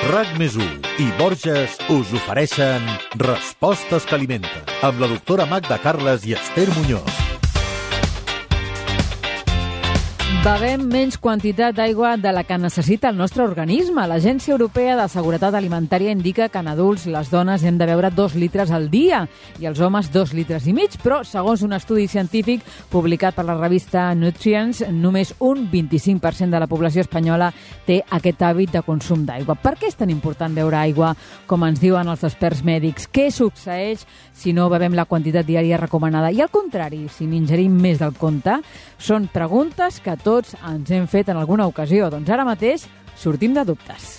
RAC+1 i Borges us ofereixen Respostes que alimenten, amb la doctora Magda Carles i Esther Muñoz. Bevem menys quantitat d'aigua de la que necessita el nostre organisme. L'Agència Europea de Seguretat Alimentària indica que en adults les dones hem de beure 2 litres al dia i els homes 2 litres i mig, però segons un estudi científic publicat per la revista Nutrients, només un 25% de la població espanyola té aquest hàbit de consum d'aigua. Per què és tan important beure aigua, com ens diuen els experts mèdics? Què succeeix si no bevem la quantitat diària recomanada? I al contrari, si n'ingerim més del compte? Són preguntes que tots ens hem fet en alguna ocasió. Doncs ara mateix sortim de dubtes.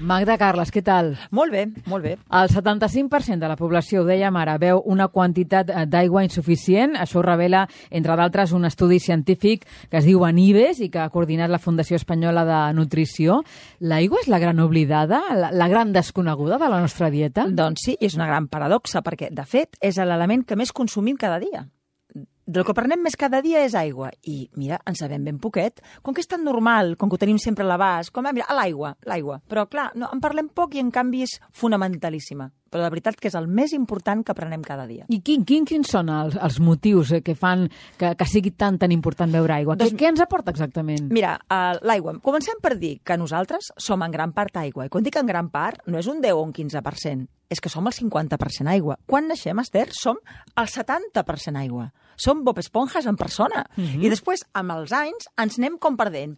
Magda Carles, què tal? Molt bé, molt bé. El 75% de la població, ho dèiem ara, beu una quantitat d'aigua insuficient. Això ho revela, entre d'altres, un estudi científic que es diu ANIBES i que ha coordinat la Fundació Espanyola de Nutrició. L'aigua és la gran oblidada, la gran desconeguda de la nostra dieta? Doncs sí, és una gran paradoxa, perquè, de fet, és l'element que més consumim cada dia. Del que prenem més cada dia és aigua. I, mira, en sabem ben poquet. Com que és tan normal, com que ho tenim sempre a l'abast, com, mira, l'aigua. Però, clar, no, en parlem poc i, en canvi, és fonamentalíssima. Però la veritat que és el més important que prenem cada dia. I quins són els motius que fan que sigui tan important beure aigua? Doncs, què ens aporta exactament? Mira, l'aigua. Comencem per dir que nosaltres som en gran part aigua. I quan dic en gran part, no és un 10 o un 15%. És que som el 50% aigua. Quan naixem, Esther, som el 70% aigua. Som Bob Esponjas en persona. I després, amb els anys, ens anem com perdent.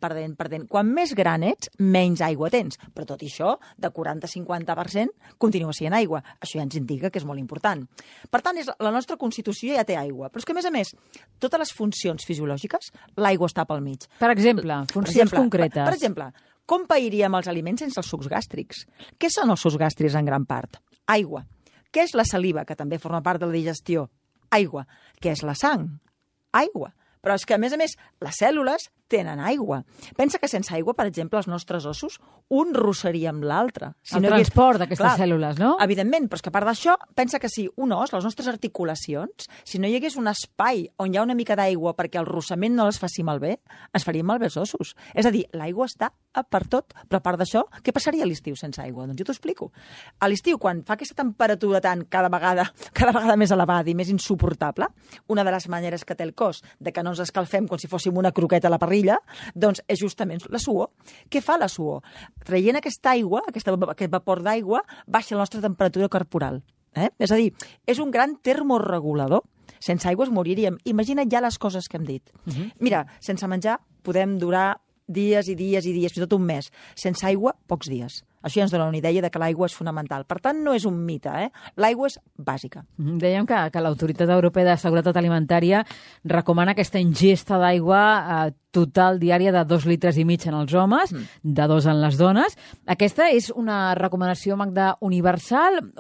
Quan més gran ets, menys aigua tens. Però tot i això, de 40-50%, continua sent aigua. Això ja ens indica que és molt important. Per tant, la nostra constitució ja té aigua. Però és que, a més, totes les funcions fisiològiques, l'aigua està pel mig. Per exemple, funcions concretes. Per exemple, com pairíem els aliments sense els sucs gàstrics? Què són els sucs gàstrics en gran part? Aigua. Què és la saliva, que també forma part de la digestió? Aigua. Què és la sang? Aigua. Però és que, a més, les cèl·lules tenen aigua. Pensa que sense aigua, per exemple, els nostres ossos, un rossaria amb l'altre. El transport d'aquestes cèl·lules, no? Evidentment, però és que a part d'això, pensa que si un os, les nostres articulacions, si no hi hagués un espai on hi ha una mica d'aigua perquè el rossament no les faci malbé, ens farien malbé els ossos. És a dir, l'aigua està per tot, però a part d'això, què passaria a l'estiu sense aigua? Doncs jo t'ho explico. A l'estiu, quan fa aquesta temperatura cada vegada més elevada i més insuportable, una de les maneres que té el cos de que no ens escalfem com si fóssim una croqueta a la parrilla, doncs és justament la suor. Què fa la suor? Traient aquesta aigua, aquest vapor d'aigua, baixa la nostra temperatura corporal. És a dir, és un gran termoregulador. Sense aigua es moriríem. Imagina't ja les coses que hem dit. Mira, sense menjar podem durar dies i dies i dies, fins i tot un mes. Sense aigua, pocs dies. Això ja ens dona una idea de que l'aigua és fonamental. Per tant, no és un mite, L'aigua és bàsica. Dèiem que l'Autoritat Europea de Seguretat Alimentària recomana aquesta ingesta d'aigua total diària de 2 litres i mig en els homes, de 2 en les dones. Aquesta és una recomanació, Magda, universal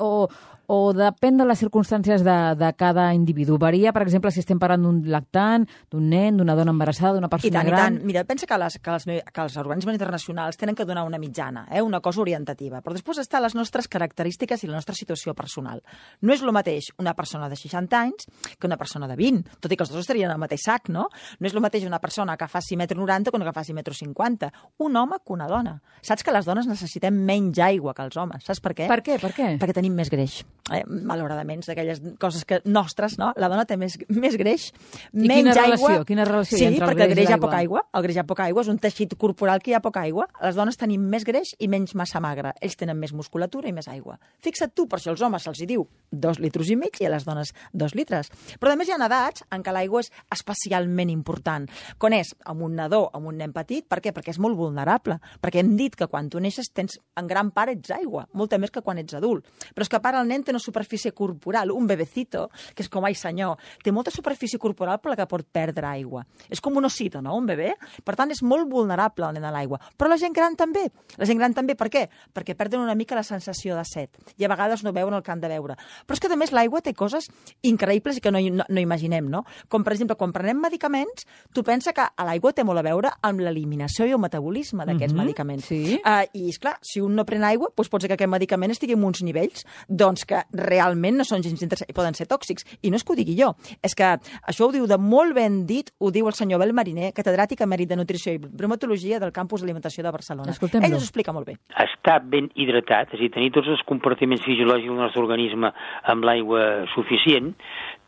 o depèn de les circumstàncies de cada individu? Varia, per exemple, si estem parlant d'un lactant, d'un nen, d'una dona embarassada, d'una persona gran? I tant. Mira, pensa que els organismes internacionals tenen que donar una mitjana, una cosa orientativa. Però després estan les nostres característiques i la nostra situació personal. No és el mateix una persona de 60 anys que una persona de 20, tot i que els dos estarien al mateix sac, no? No és el mateix una persona que faci 1,90 m que una que faci 1,50 m. Un home que una dona. Saps que les dones necessitem menys aigua que els homes? Saps per què? Per què? Perquè tenim més greix. Malauradament, d'aquelles coses nostres, no? La dona té més greix, menys aigua. Quina relació hi ha entre el greix i l'aigua? Sí, perquè el greix hi ha poca aigua. El greix hi ha poca aigua, és un teixit corporal que hi ha poca aigua. Les dones tenim més greix i menys massa magra. Ells tenen més musculatura i més aigua. Fixa't tu, per això als homes se'ls diu 2 litres i mig i a les dones 2 litres. Però a més hi ha edats en què l'aigua és especialment important. Quan és amb un nadó, amb un nen petit, per què? Perquè és molt vulnerable. Perquè hem dit que quan tu neixes tens, en gran part ets aigua, molta més que quan ets adult. Però és que a part el nen té una superfície corporal, un bebecito, que és com, ai senyor, té molta superfície corporal per la que pot perdre aigua. És com un osito, no?, un bebè. Per tant, és molt vulnerable el nen a l'aigua. Però la gent gran també. La gent gran també, per què? Perquè perden una mica la sensació de set. I a vegades no veuen el que han de veure. Però és que, a més, l'aigua té coses increïbles i que no imaginem, no? Com, per exemple, quan prenem medicaments, tu pensa que l'aigua té molt a veure amb l'eliminació i el metabolisme d'aquests medicaments. Sí. I, esclar, si un no pren aigua, doncs pot ser que aquest medicament estigui en uns nivells doncs que realment no són gens interessants i poden ser tòxics. I no és que ho digui jo, és que això ho diu de molt ben dit, ho diu el senyor Abel Mariner, catedràtic emèrit de Nutrició i Bromatologia del Campus d'Alimentació de Barcelona. Ell us ho explica molt bé. Estar ben hidratat, és a dir, tenir tots els compartiments fisiològics del nostre organisme amb l'aigua suficient,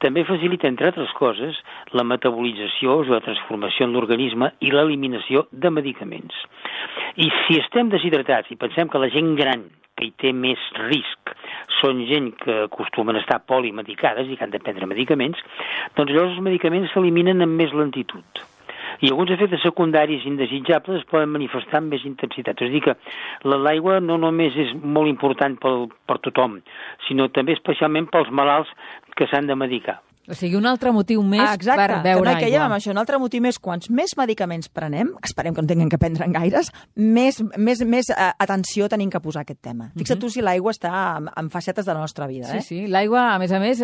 també facilita, entre altres coses, la metabolització, la transformació en l'organisme i l'eliminació de medicaments. I si estem deshidratats i pensem que la gent gran que hi té més risc són gent que acostumen a estar polimedicades i que han de prendre medicaments, doncs llavors els medicaments s'eliminen amb més lentitud. I alguns efectes secundaris indesitjables es poden manifestar amb més intensitat. És a dir, que l'aigua no només és molt important per tothom, sinó també especialment pels malalts que s'han de medicar. O sigui, un altre motiu més per beure aigua. Exacte, amb això. Un altre motiu més, quants més medicaments prenem, esperem que no tinguem que prendre gaires, més atenció tenim que posar a aquest tema. Fixa't tu si l'aigua està en facetes de la nostra vida. Sí, l'aigua, a més,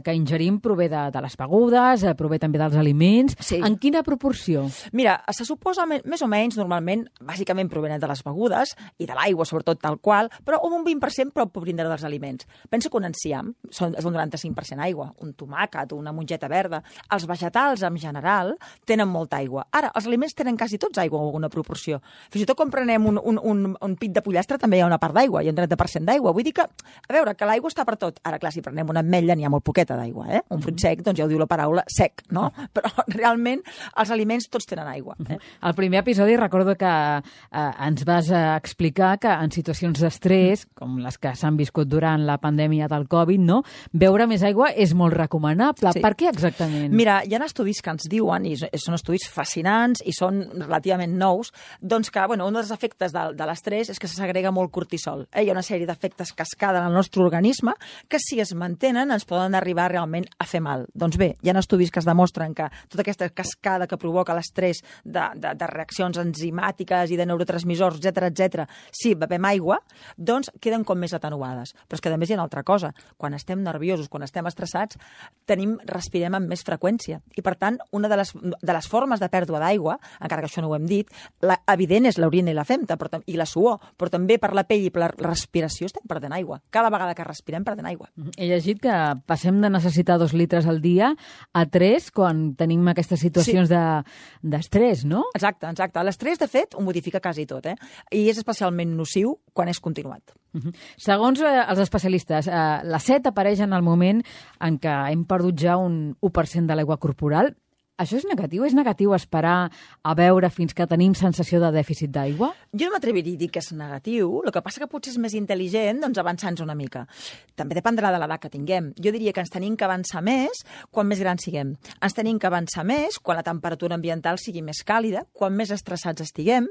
que ingerim prové de les begudes, prové també dels aliments. Sí. En quina proporció? Mira, se suposa més o menys, normalment, bàsicament provenen de les begudes i de l'aigua, sobretot tal qual, però un 20% pot vindre dels aliments. Pensa que un enciam és un 95% aigua, un tomàquet, una mongeta verda. Els vegetals, en general, tenen molta aigua. Ara, els aliments tenen quasi tots aigua o alguna proporció. Fins i tot quan prenem un pit de pollastre també hi ha una part d'aigua, hi ha un 30% d'aigua. Vull dir que, a veure, que l'aigua està per tot. Ara, clar, si prenem una ametlla n'hi ha molt poqueta d'aigua, eh? Un fruit sec, doncs ja ho diu la paraula sec, no? Però realment els aliments tots tenen aigua. Al primer episodi recordo que ens vas explicar que en situacions d'estrès, com les que s'han viscut durant la pandèmia del Covid, no? Beure més aigua és molt recomanable. Sí. Per què exactament? Mira, hi ha estudis que ens diuen, i són estudis fascinants i són relativament nous, doncs que, un dels efectes de l'estrès és que se segrega molt cortisol. Hi ha una sèrie d'efectes cascada en el nostre organisme que, si es mantenen, ens poden arribar realment a fer mal. Doncs bé, hi ha estudis que es demostren que tota aquesta cascada que provoca l'estrès de reaccions enzimàtiques i de neurotransmissors, etc, si bevem aigua, doncs queden com més atenuades. Però és que, a més, hi ha una altra cosa. Quan estem nerviosos, quan estem estressats, respirem amb més freqüència. I, per tant, una de les formes de pèrdua d'aigua, encara que això no ho hem dit, evident és l'orina i la femta i la suor, però també per la pell i per la respiració estem perdent aigua. Cada vegada que respirem perdem aigua. He llegit que passem de necessitar 2 litres al dia a 3 quan tenim aquestes situacions d'estrès, no? Exacte. L'estrès, de fet, ho modifica quasi tot, i és especialment nociu quan és continuat. Segons els especialistes, la set apareix en el moment en què hem perdut ja un 1% de l'aigua corporal. Això és negatiu? És negatiu esperar a beure fins que tenim sensació de dèficit d'aigua? Jo no m'atreviria a dir que és negatiu. El que passa que potser és més intel·ligent avançar-nos una mica. També dependrà de l'edat que tinguem. Jo diria que ens tenim que avançar més quan més grans siguem. Ens tenim que avançar més quan la temperatura ambiental sigui més càlida, quan més estressats estiguem,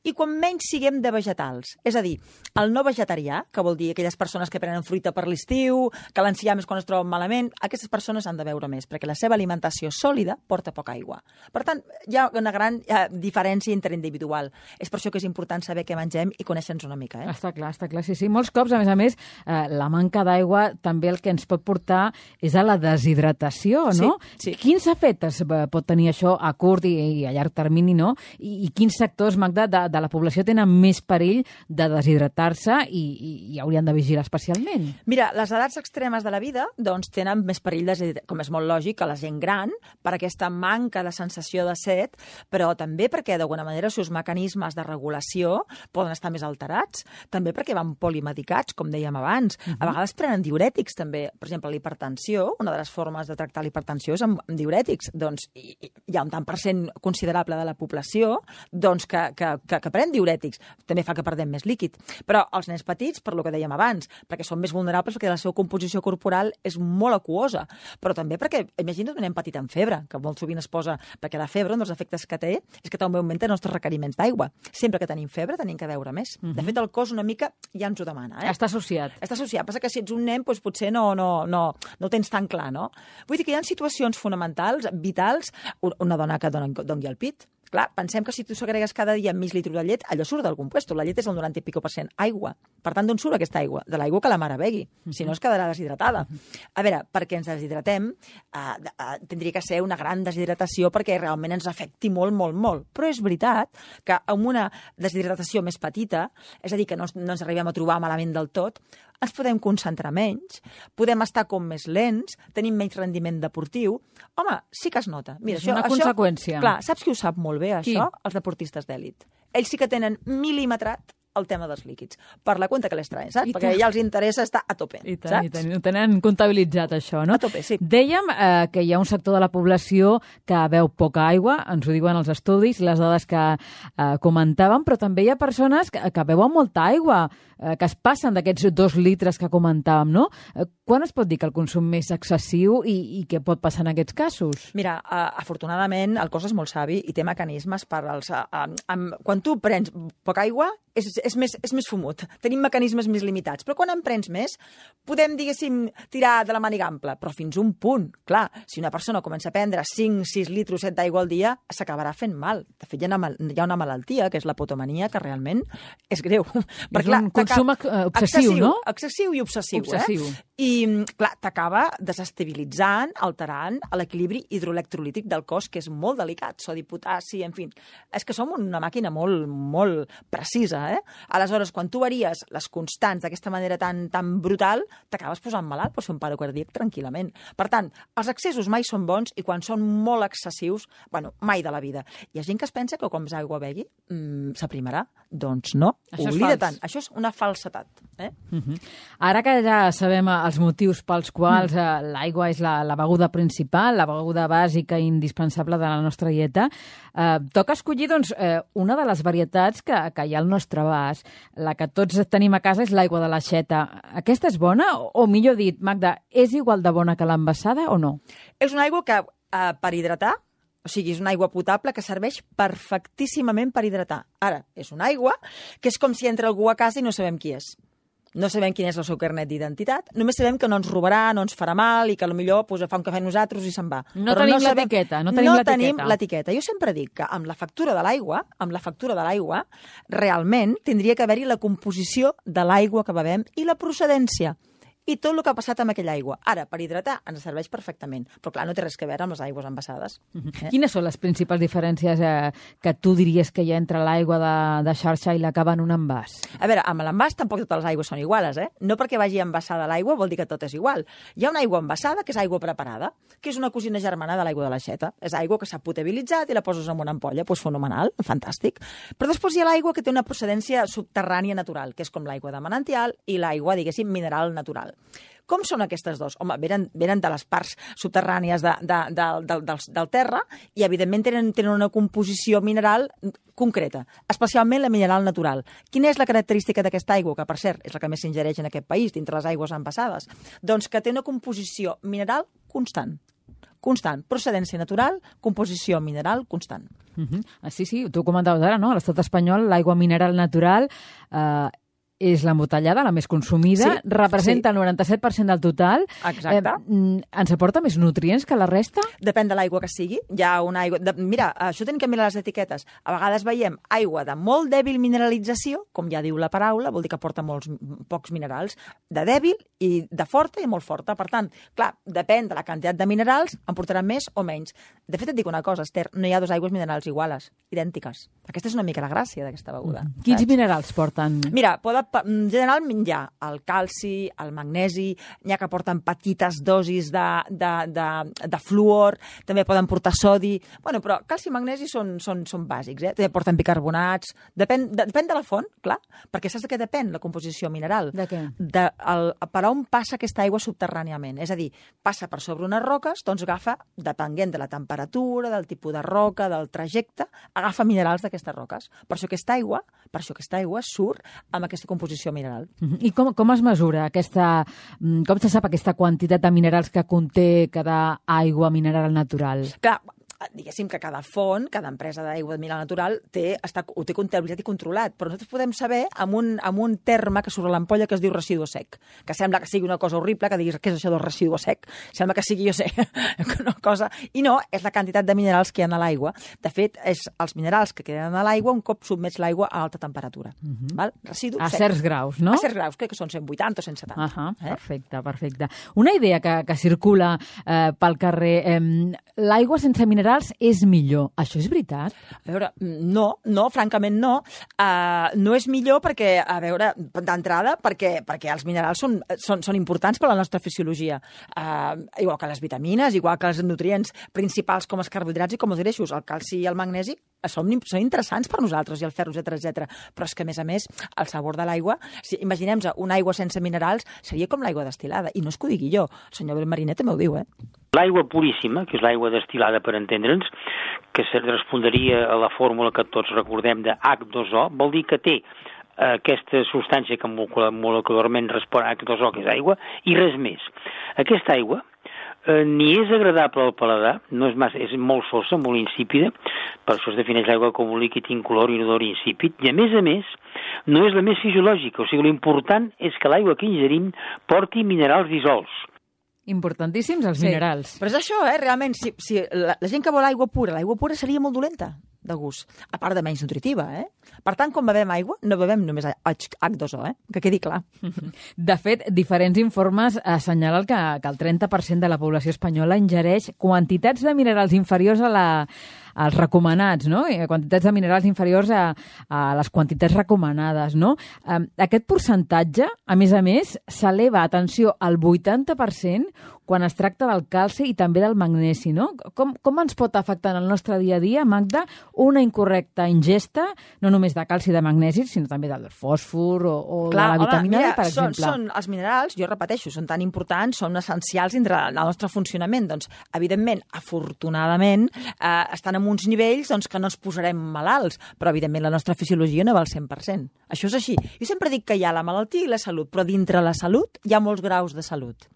i quan menys siguem de vegetals. És a dir, el no vegetarià, que vol dir aquelles persones que prenen fruita per l'estiu, que l'enciam és quan es troben malament, aquestes persones han de beure més, perquè la seva alimentació sòlida porta poca aigua. Per tant, hi ha una gran diferència interindividual. És per això que és important saber què mengem i conèixer-nos una mica. Està clar, sí. Molts cops, a més, la manca d'aigua també el que ens pot portar és a la deshidratació, no? Sí. Quins efectes pot tenir això a curt i a llarg termini, no? I quins sectors, Magda, de la població tenen més perill de deshidratar-se i haurien de vigilar especialment? Mira, les edats extremes de la vida doncs tenen més perill, com és molt lògic, que la gent gran, per aquesta manca de sensació de set, però també perquè, d'alguna manera, els seus mecanismes de regulació poden estar més alterats, també perquè van polimedicats, com dèiem abans. A vegades prenen diürètics, també. Per exemple, l'hipertensió, una de les formes de tractar l'hipertensió és amb diürètics. Doncs hi ha un tant % considerable de la població doncs, que pren diürètics. També fa que perdem més líquid. Però els nens petits, per lo que dèiem abans, perquè són més vulnerables perquè la seva composició corporal és molt aquosa, però també perquè, imagina't un nen petit amb febre, que molt sovint es posa, perquè la febre, un dels efectes que té, és que també augmenta els nostres requeriments d'aigua. Sempre que tenim febre tenim que beure més. De fet, el cos una mica ja ens ho demana. Està associat. Està associat. Passa que si ets un nen, doncs potser no ho tens tan clar, no? Vull dir que hi ha situacions fonamentals, vitals, una dona que doni el pit, Clar, pensem que si tu segregues cada dia mig litre de llet, allò surt d'algun puesto. La llet és el 90 i pico % aigua. Per tant, d'on surt aquesta aigua? De l'aigua que la mare begui. Si no, es quedarà deshidratada. A veure, perquè ens deshidratem, tindria que ser una gran deshidratació perquè realment ens afecti molt, molt, molt. Però és veritat que amb una deshidratació més petita, és a dir, que no ens arribem a trobar malament del tot, ens podem concentrar menys, podem estar com més lents, tenim menys rendiment deportiu. Home, sí que es nota. Mira, és una conseqüència. Clar, saps qui ho sap molt bé, això? Qui? Els deportistes d'èlit. Ells sí que tenen mil·limetrat el tema dels líquids, per la compte que les traen, saps? Perquè ja els interessa estar a tope, saps? I tant, ho tenen comptabilitzat, això, no? A tope, sí. Dèiem que hi ha un sector de la població que beu poca aigua, ens ho diuen els estudis, les dades que comentàvem, però també hi ha persones que beuen molta aigua, que es passen d'aquests 2 litres que comentàvem, no? Quan es pot dir que el consum és excessiu i què pot passar en aquests casos? Mira, afortunadament el cos és molt savi i té mecanismes per als... quan tu prens poca aigua és més fumut. Tenim mecanismes més limitats. Però quan en prens més, podem, diguéssim, tirar de la màniga ampla. Però fins un punt. Clar, si una persona comença a prendre 5, 6 litres, 7 d'aigua al dia, s'acabarà fent mal. De fet, hi ha una malaltia, que és la potomania, que realment és greu. És un consum obsessiu, no? Excessiu i obsessiu. Obsessiu. I, clar, t'acaba desestabilitzant, alterant l'equilibri hidroelectrolític del cos, que és molt delicat. Sodi, potassi, en fi. És que som una màquina molt, molt precisa, Aleshores, quan tu varies les constants d'aquesta manera tan brutal, t'acabes posant malalt, pots fer un paro cardíac tranquil·lament. Per tant, els excessos mai són bons i quan són molt excessius, bueno, mai de la vida. Hi ha gent que es pensa que com més aigua begui, s'aprimarà. Doncs no, oblida-te'n. Això és una falsetat. Ara que ja sabem els motius pels quals l'aigua és la beguda principal, la beguda bàsica i indispensable de la nostra dieta, toca escollir una de les varietats que hi ha al nostre abast. La que tots tenim a casa és l'aigua de l'aixeta. Aquesta és bona? O millor dit, Magda, és igual de bona que l'envasada o no? És una aigua que per hidratar, o sigui, és una aigua potable que serveix perfectíssimament per hidratar. Ara, és una aigua que és com si entra algú a casa i no sabem qui és. No sabem quin és el seu carnet d'identitat, només sabem que no ens robarà, no ens farà mal i que potser fa un cafè a nosaltres i se'n va. No tenim l'etiqueta. No tenim l'etiqueta. Jo sempre dic que amb la factura de l'aigua, realment tindria que haver-hi la composició de l'aigua que bevem i la procedència. I tot el que ha passat amb aquella aigua. Ara, per hidratar, ens serveix perfectament. Però, clar, no té res a veure amb les aigües envasades. Quines són les principals diferències que tu diries que hi ha entre l'aigua de xarxa i la que va en un envàs? A veure, amb l'envàs tampoc totes les aigües són iguals, No perquè vagi envasada l'aigua vol dir que tot és igual. Hi ha una aigua envasada, que és aigua preparada, que és una cosina germana de l'aigua de l'aixeta. És aigua que s'ha potabilitzat i la poses en una ampolla. Doncs fenomenal, fantàstic. Però després hi ha l'aigua que té una procedència subterrània natural, que és com l'aigua de manantial i l'aigua, diguéssim, mineral natural. Com són aquestes dues? Home, venen de les parts subterrànies del terra i, evidentment, tenen una composició mineral concreta, especialment la mineral natural. Quina és la característica d'aquesta aigua, que, per cert, és la que més s'ingereix en aquest país, dintre les aigües envasades? Doncs que té una composició mineral constant. Procedència natural, composició mineral constant. Sí, tu comentaves ara, no? A l'estat espanyol, l'aigua mineral natural és l'embotellada, la més consumida, representa el 97% del total. Exacte. Ens aporta més nutrients que la resta? Depèn de l'aigua que sigui. Hi ha una aigua... Mira, això tenim que mirar les etiquetes. A vegades veiem aigua de molt dèbil mineralització, com ja diu la paraula, vol dir que aporta pocs minerals, de dèbil i de forta i molt forta. Per tant, clar, depèn de la quantitat de minerals, en portarà més o menys. De fet, et dic una cosa, Esther, no hi ha dues aigües minerals iguales, idèntiques. Aquesta és una mica la gràcia d'aquesta beguda. Quins minerals porten? Mira, en general hi ha el calci, el magnesi, n'hi ha que porten petites dosis de fluor, també poden portar sodi. Bueno, però calci i magnesi són bàsics, També porten bicarbonats. Depèn de la font, clar, perquè saps de què depèn la composició mineral? De què? Per on passa aquesta aigua subterràniament. És a dir, passa per sobre unes roques, doncs agafa, depenent de la temperatura, del tipus de roca, del trajecte, agafa minerals d'aquestes roques. Per això aquesta aigua surt amb aquesta composició mineral. I com es mesura com se sap aquesta quantitat de minerals que conté cada aigua mineral natural? Clar, diguéssim que cada font, cada empresa d'aigua mineral natural ho té comptabilitzat i controlat, però nosaltres podem saber amb un terme que surt a l'ampolla que es diu residu sec, que sembla que sigui una cosa horrible, que diguis què és això del residu sec, sembla que sigui, jo sé, una cosa, i no, és la quantitat de minerals que hi ha a l'aigua. De fet, és els minerals que queden a l'aigua un cop sotmets l'aigua a alta temperatura. Val? Residu A sec. certs graus, no? A certs graus, crec que són 180 o 170. Perfecte. Una idea que circula pel carrer, l'aigua sense minerals és millor. Això és veritat? A veure, no, francament no. No és millor perquè, a veure, d'entrada, perquè els minerals són importants per a la nostra fisiologia. Igual que les vitamines, igual que els nutrients principals com els carbohidrats i com els greixos. El calci i el magnesi són interessants per nosaltres, i el ferro, etc. Però és que, a més, el sabor de l'aigua, si imaginem-nos una aigua sense minerals, seria com l'aigua destil·lada. I no és que ho digui jo, el senyor Mariner també ho diu, L'aigua puríssima, que és l'aigua destil·lada per entendre'ns, que respondria a la fórmula que tots recordem de H2O, vol dir que té aquesta substància que molecularment respon a H2O, que és aigua, i res més. Aquesta aigua ni és agradable al paladar, no és massa, és molt sosa, molt insípida, per això es defineix l'aigua com un líquid incolor i inodor insípid, i a més, no és la més fisiològica, o sigui, l'important és que l'aigua que ingerim porti minerals dissolts. Importantíssims els minerals. Però és això, realment, si la gent que vol l'aigua pura seria molt dolenta de gust, a part de menys nutritiva, Per tant, quan bevem aigua, no bevem només H2O, que quedi clar. De fet, diferents informes assenyalen que el 30% de la població espanyola ingereix quantitats de minerals inferiors als recomanats, no? Quantitats de minerals inferiors a les quantitats recomanades, no? Aquest percentatge, a més, s'eleva, atenció, al 80% quan es tracta del calci i també del magnesi, no? Com ens pot afectar en el nostre dia a dia, Magda, una incorrecta ingesta, no només de calci i de magnesi, sinó també del fòsfor o de la vitamina D, per exemple? Són els minerals, jo repeteixo, són tan importants, són essencials dintre del nostre funcionament. Doncs, evidentment, afortunadament, estan en uns nivells que no ens posarem malalts, però, evidentment, la nostra fisiologia no va al 100%. Això és així. Jo sempre dic que hi ha la malaltia i la salut, però dintre la salut hi ha molts graus de salut.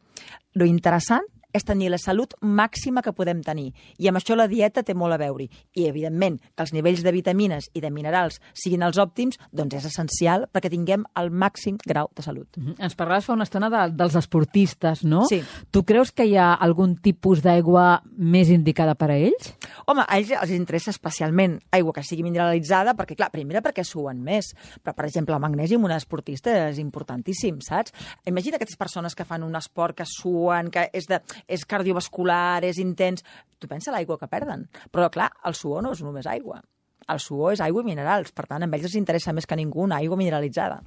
Lo interessant és tenir la salut màxima que podem tenir. I amb això la dieta té molt a veure. I, evidentment, que els nivells de vitamines i de minerals siguin els òptims, doncs és essencial perquè tinguem el màxim grau de salut. Ens parlaves fa una estona dels esportistes, no? Sí. Tu creus que hi ha algun tipus d'aigua més indicada per a ells? Home, a ells els interessa especialment aigua que sigui mineralitzada, perquè, clar, primera perquè suen més. Però, per exemple, el magnesi en un esportista és importantíssim, saps? Imagina aquestes persones que fan un esport, que suen, que és cardiovascular, és intens. Tu pensa l'aigua que perden. Però, clar, el suor no és només aigua. El suor és aigua i minerals. Per tant, a ells els interessa més que ningú una aigua mineralitzada.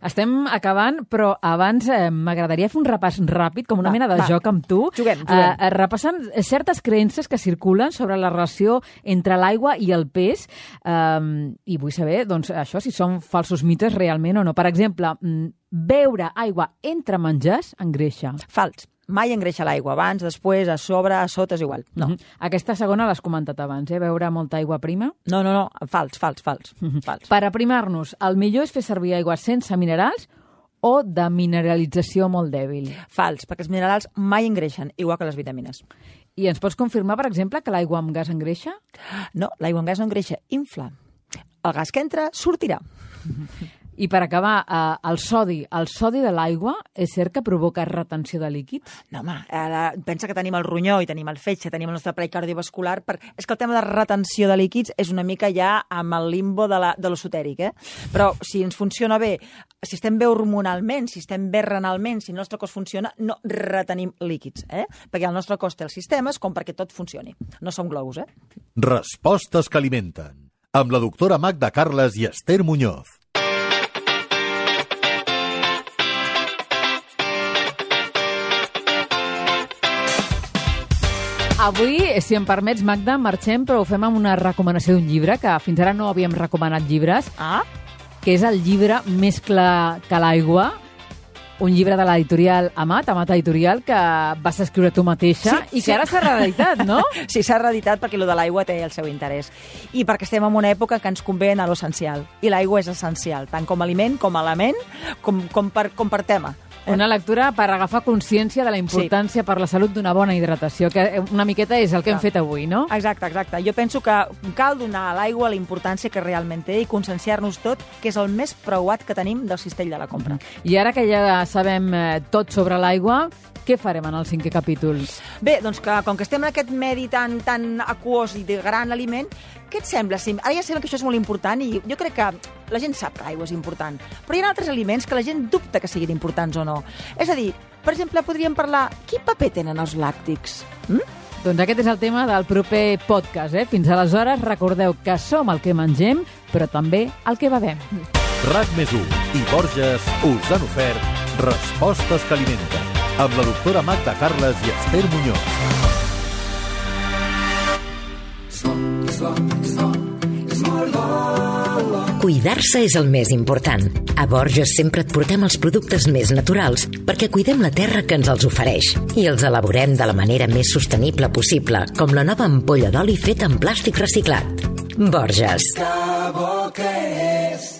Estem acabant, però abans m'agradaria fer un repàs ràpid, com una mena de joc amb tu. Juguem. Repassant certes creences que circulen sobre la relació entre l'aigua i el pes. I vull saber, doncs, això, si són falsos mites realment o no. Per exemple, beure aigua entre menjars engreixa. Fals. Mai engreixa l'aigua. Abans, després, a sobre, a sota, és igual. No. Aquesta segona l'has comentat abans, beure molta aigua prima? No. Fals. Per aprimar-nos, el millor és fer servir aigua sense minerals o de mineralització molt dèbil? Fals, perquè els minerals mai engreixen, igual que les vitamines. I ens pots confirmar, per exemple, que l'aigua amb gas engreixa? No, l'aigua amb gas no engreixa, infla. El gas que entra sortirà. I per acabar, el sodi de l'aigua, és cert que provoca retenció de líquids? No, home, pensa que tenim el ronyó i tenim el fetge, tenim el nostre aparell cardiovascular. És que el tema de retenció de líquids és una mica ja amb el limbo de l'esotèric, Però si ens funciona bé, si estem bé hormonalment, si estem bé renalment, si el nostre cos funciona, no retenim líquids, Perquè el nostre cos té els sistemes com perquè tot funcioni. No som globus, Respostes que alimenten. Amb la doctora Magda Carles i Esther Muñoz. Avui, si em permets, Magda, marxem, però ho fem amb una recomanació d'un llibre, que fins ara no havíem recomanat llibres, que és el llibre Més clar que l'aigua, un llibre de l'editorial Amat Editorial, que vas escriure tu mateixa i que ara s'ha reeditat, no? Sí, s'ha reeditat perquè lo de l'aigua té el seu interès. I perquè estem en una època que ens convé anar a l'essencial. I l'aigua és essencial, tant com a aliment, com a element, com per tema. Una lectura per agafar consciència de la importància per la salut d'una bona hidratació, que una miqueta és el que hem fet avui, no? Exacte. Jo penso que cal donar a l'aigua la importància que realment té i conscienciar-nos tot, que és el més preuat que tenim del cistell de la compra. I ara que ja sabem tot sobre l'aigua, què farem en el 5è capítol? Bé, doncs que com que estem en aquest medi tan aquós i de gran aliment, què et sembla? Ara ja sabem que això és molt important i jo crec que la gent sap que l'aigua és important, però hi ha altres aliments que la gent dubta que siguin importants o no. És a dir, per exemple, podríem parlar quin paper tenen els làctics? Doncs aquest és el tema del proper podcast. Fins aleshores, recordeu que som el que mengem, però també el que bevem. RAC+1 i Borges us han ofert Respostes que alimenten, amb la doctora Magda Carles i Esther Muñoz. Cuidar-se és el més important. A Borges sempre et portem els productes més naturals perquè cuidem la terra que ens els ofereix i els elaborem de la manera més sostenible possible, com la nova ampolla d'oli feta en plàstic reciclat. Borges. Que bo que és